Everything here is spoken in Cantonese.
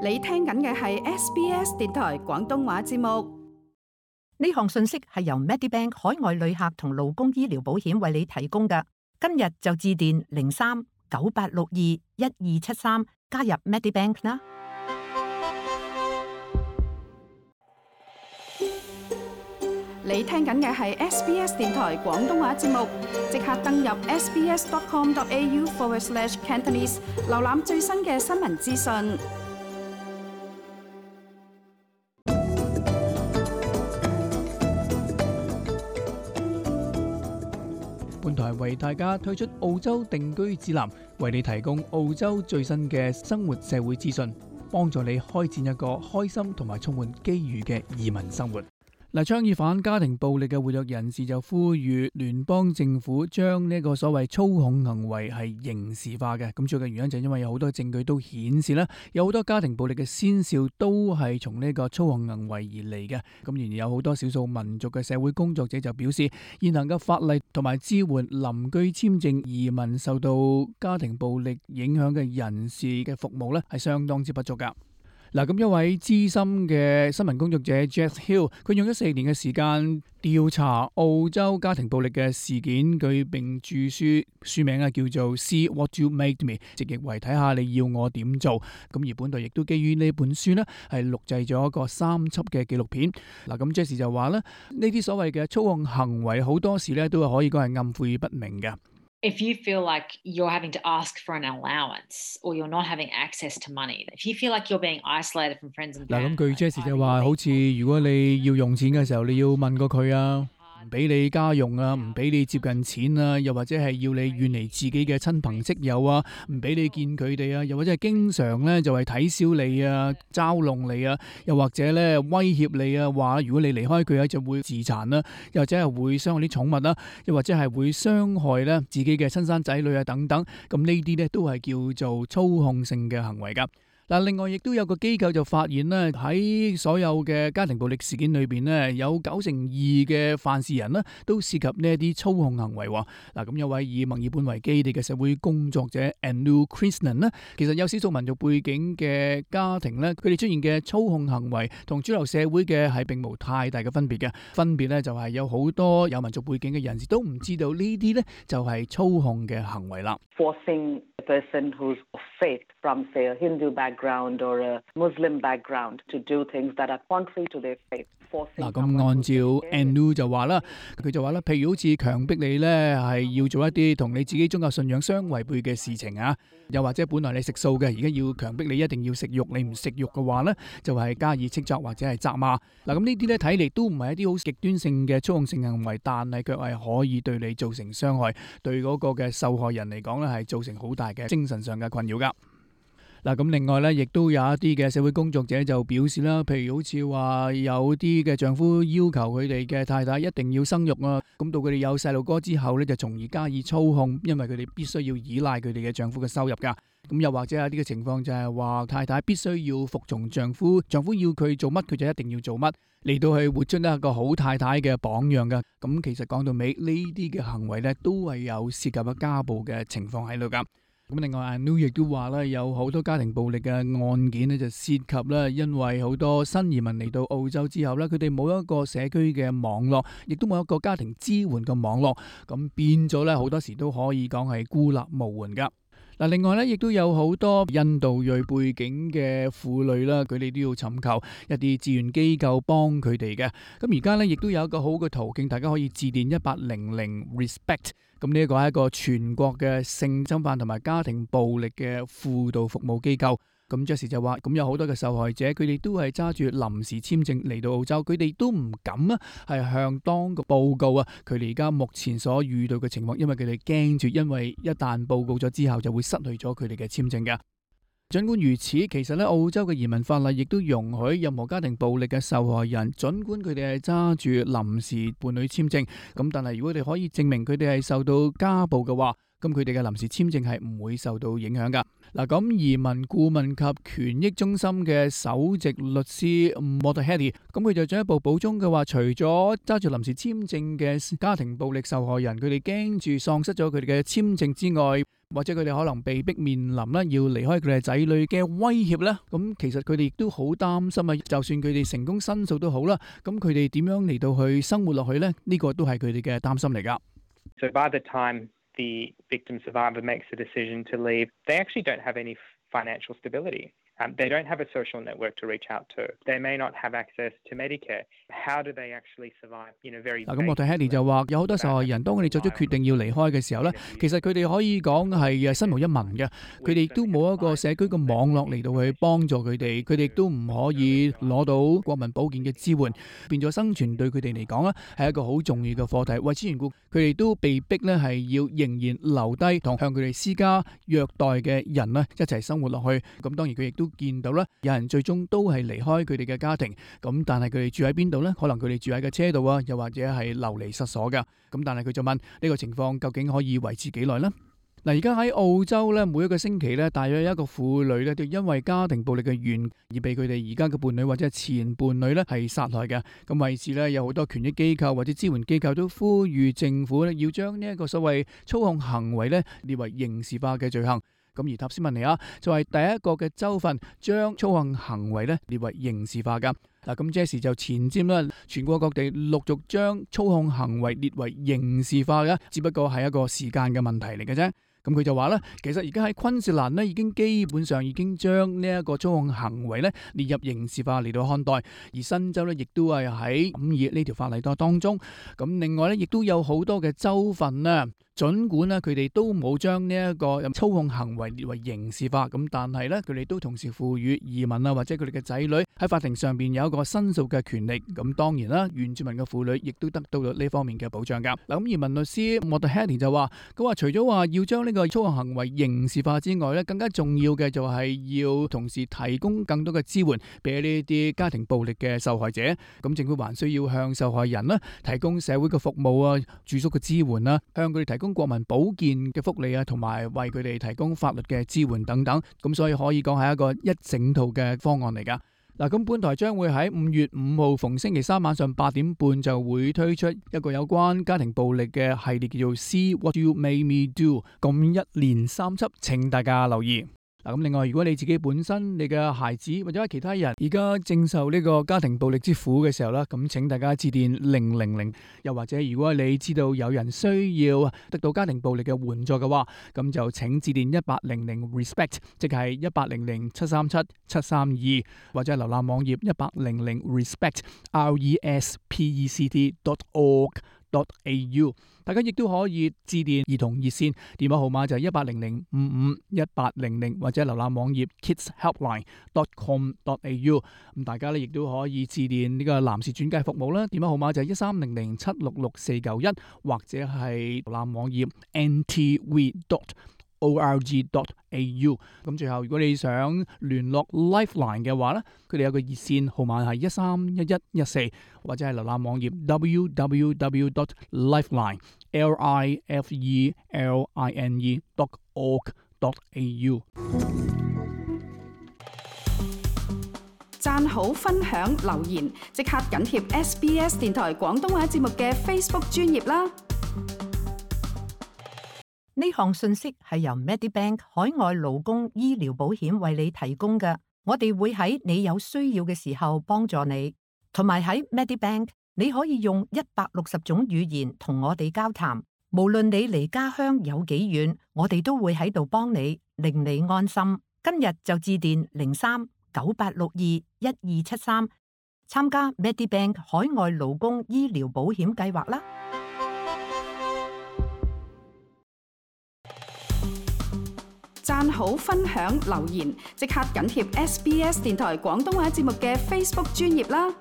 你聽緊嘅係 SBS 電台廣東話節目。呢項信息係由 Medibank 海外旅客同勞工醫療保險為你提供嘅。今日就致電03-9862-1273加入 Medibank 啦。你聽緊嘅係 SBS 電台廣東話節目，即刻登入 sbs.com.au/Cantonese 瀏覽最新嘅新聞資訊。本台為大家推出澳洲定居指南，為你提供澳洲最新嘅生活社會資訊，幫助你開展一個開心同埋充滿機遇嘅移民生活。倡議反家庭暴力嘅活躍人士就呼籲聯邦政府將呢個所謂操控行為係刑事化嘅。咁主要嘅原因就係因為有好多證據都顯示啦，有好多家庭暴力嘅先兆都係從呢個操控行為而嚟嘅。咁然而有好多少數民族嘅社會工作者就表示，現行嘅法例同埋支援臨居簽證移民受到家庭暴力影響嘅人士嘅服務呢係相當之不足噶。咁一位資深嘅新聞工作者 Jess Hill， 佢用咗4年嘅時間調查澳洲家庭暴力嘅事件，佢並著書名叫做 See What You Made Me， 直譯為睇下你要我點做。咁而本台亦都基於呢本書呢係錄製咗一個3輯嘅紀錄片。咁 Jess 就話咧，呢啲所謂嘅操控行為好多時咧都係可以講係暗晦不明嘅。If you feel like you're having to ask for an allowance or you're not having access to money, if you feel like you're being isolated from friends and family， 咁據 Jess 就話，好似如果你要用錢嘅時候，你要問過佢啊，唔俾你家用啊，唔俾你接近錢啊，又或者係要你遠離自己嘅親朋戚友啊，唔俾你見佢哋啊，又或者係經常咧就係睇小你啊，嘲弄你啊，又或者咧威脅你啊，話如果你離開佢啊就會自殘啦，又或者係會傷害啲寵物啦，又或者係會傷害咧自己嘅親生仔女啊等等，咁呢啲咧都係叫做操控性嘅行為噶。另外亦都有個機構就發現咧，喺所有嘅家庭暴力事件裏邊咧，有92%嘅犯事人咧都涉及呢一啲操控行為。咁有位以墨爾本為基地嘅社會工作者 Anu Krishnan 咧，其實有少數民族背景嘅家庭咧，佢哋出現嘅操控行為同主流社會嘅係並無太大嘅分別嘅。分別咧就係有好多有民族背景嘅人士都唔知道呢啲咧就係操控嘅行為啦。Forcing a person who's of faith from say a Hindu background or a Muslim background to do things that are contrary to their faith。咁按照 Anu 就話啦，佢就話啦，譬如好似強迫你咧係要做一啲同你自己宗教信仰相違背嘅事情啊，又或者本來你食素嘅，而家要強迫你一定要食肉，你唔食肉嘅話咧，就係加以斥責或者係責罵。咁呢啲咧睇嚟都唔係一啲好極端性嘅操控性行為，但係卻係可以對你造成傷害，對嗰個嘅受害人嚟講咧係造成好大嘅精神上嘅困擾噶。咁另外咧，亦都有一啲嘅社會工作者就表示啦，譬如好似話有啲嘅丈夫要求佢哋嘅太太一定要生育啊，咁到佢哋有細路哥之後咧，就從而加以操控，因為佢哋必須要依賴佢哋嘅丈夫嘅收入噶。咁又或者有啲嘅情況就係話太太必須要服從丈夫，丈夫要佢做乜佢就一定要做乜，嚟到去活出一個好太太嘅榜樣噶。咁其實講到尾呢啲嘅行為咧，都係有涉及嘅家暴嘅情況喺度噶。咁另外 Anu 亦都話咧，有好多家庭暴力嘅案件咧，就涉及咧，因為好多新移民嚟到澳洲之後咧，佢哋冇一個社區嘅網絡，亦都冇一個家庭支援嘅網絡，咁變咗咧，好多時都可以講係孤立無援噶。另外咧，亦都有好多印度裔背景嘅婦女啦，佢哋都要尋求一啲志願機構幫佢哋嘅。咁而家咧，亦都有一個好嘅途徑，大家可以致電1800 RESPECT。咁呢一個係一個全國嘅性侵犯同埋家庭暴力嘅輔導服務機構。咁 Jesse 就話，咁有好多嘅受害者，佢哋都係揸住臨時簽證嚟到澳洲，佢哋都唔敢啊，係向當局報告啊，佢哋而家目前所遇到嘅情況，因為佢哋驚住，因為一旦報告咗之後，就會失去咗佢哋嘅簽證㗎。儘管如此，其實咧澳洲嘅移民法例亦都容許任何家庭暴力嘅受害人，儘管佢哋係揸住臨時伴侶簽證，咁但係如果佢哋可以證明佢哋係受到家暴嘅話，咁佢哋嘅臨時簽證係唔會受到影響噶。嗱，咁移民顧問及權益中心嘅首席律師 Motahedi， 咁佢就進一步補充嘅話，除咗揸住臨時簽證嘅家庭暴力受害人，佢哋驚住喪失咗佢哋嘅簽證之外，或者佢哋可能被逼面臨啦要離開佢哋仔女嘅威脅咧，咁其實佢哋亦都好擔心啊！就算佢哋成功申訴都好啦，咁佢哋點樣嚟到去生活落去咧？呢個都係佢哋嘅擔心嚟㗎。So by the time the victim survivor makes the decision to leave, they actually don't have any financial stability. They don't have a social network to reach out to. They may not have access to Medicare. How do they actually survive? Very 嗱，咁我睇 Hedy 就話有好多受害人，當佢哋作出決定要離開嘅時候咧，其實佢哋可以講係身無一文嘅，佢哋亦都冇一個社區嘅網絡嚟到去幫助佢哋，佢哋亦都唔可以攞到國民保健嘅支援，變咗生存對佢哋嚟講咧係一個好重要嘅課題。為此緣故，佢哋都被逼咧係要仍然留低同向佢哋施加虐待嘅人咧一齊生活落去。咁當然佢亦都見到啦，有人最終都係離開佢哋嘅家庭，咁但係佢哋住喺邊度呢？可能佢哋住喺個車度啊，又或者係流離失所噶。咁但係佢就問呢個情況究竟可以維持幾耐呢？嗱，而家喺澳洲咧，每一個星期咧，大約有一個婦女咧，就因為家庭暴力嘅原因而被佢哋而家嘅伴侶或者係前伴侶咧係殺害嘅。咁為此咧，有好多權益機構或者支援機構都呼籲政府咧要將呢一個所謂操控行為咧列為刑事化嘅罪行。咁而塔斯曼尼亞就係第一個嘅州份將操控行為咧列為刑事化噶。嗱，咁這時就前瞻啦，全國各地陸續將操控行為列為刑事化嘅，只不過係一個時間嘅問題嚟嘅啫。咁佢就話咧，其實而家喺昆士蘭咧已經基本上已經將呢一個操控行為咧列入刑事化嚟到看待，而新州咧亦都係喺審議呢條法例當中。咁另外咧，亦都有好多嘅州份啊，儘管咧佢哋都冇將呢一個操控行為列為刑事化，咁但係咧佢哋都同時賦予移民啊或者佢哋嘅仔女喺法庭上邊有一個申訴嘅權利。咁當然啦，原住民嘅婦女亦都得到咗呢方面嘅保障㗎。嗱，咁移民律師 Motahedi 就話，佢話除咗話要將呢個操控行為刑事化之外咧，更加重要嘅就係要同時提供更多嘅支援俾呢啲家庭暴力嘅受害者。咁政府還需要向受害人啦提供社會嘅服務啊、住宿嘅支援啦，向佢哋提供國民保健嘅福利啊，同埋為佢哋提供法律嘅支援等等。咁所以可以講係一個一整套嘅方案嚟㗎。嗱，咁本台將會喺5月5號逢星期三晚上8點半就會推出一個有關家庭暴力嘅系列，叫做 See What You Made Me Do， 咁一連3輯，請大家留意。嗱，咁另外，如果你自己本身你嘅孩子或者其他人而家正受呢個家庭暴力之苦嘅時候啦，咁請大家致電000，又或者如果你知道有人需要得到家庭暴力嘅援助嘅話，咁就請致電1800 RESPECT， 即係1800 737 732，或者係瀏覽網頁1800 respect.org.au。大家亦都可以致電兒童熱線，電話號碼就係1800 55 1800，或者瀏覽網頁 kidshelpline.com.au。咁大家咧亦都可以致電呢個男士轉介服務啦，電話號碼就係1300 766 491，或者係瀏覽網頁 ntv.org.au。咁最後，如果你想聯絡 Lifeline 嘅話咧，佢哋有個熱線號碼係131114，或者係瀏覽網頁 www.lifeline.org.au。讚好、分享、留言，即刻緊貼 SBS 電台廣東話節目嘅 Facebook 專頁啦！呢項信息係由 Medibank 海外勞工醫療保險為你提供嘅，我哋會喺你有需要嘅時候幫助你，同埋喺 Medibank 你可以用160種語言同我哋交談，無論你離家鄉有幾遠，我哋都會喺度幫你，令你安心。今日就致電03-9862-1273，參加 Medibank 海外勞工醫療保險計劃啦！讚好、分享、留言，即刻緊貼 SBS 電台廣東話節目嘅 Facebook 專頁啦！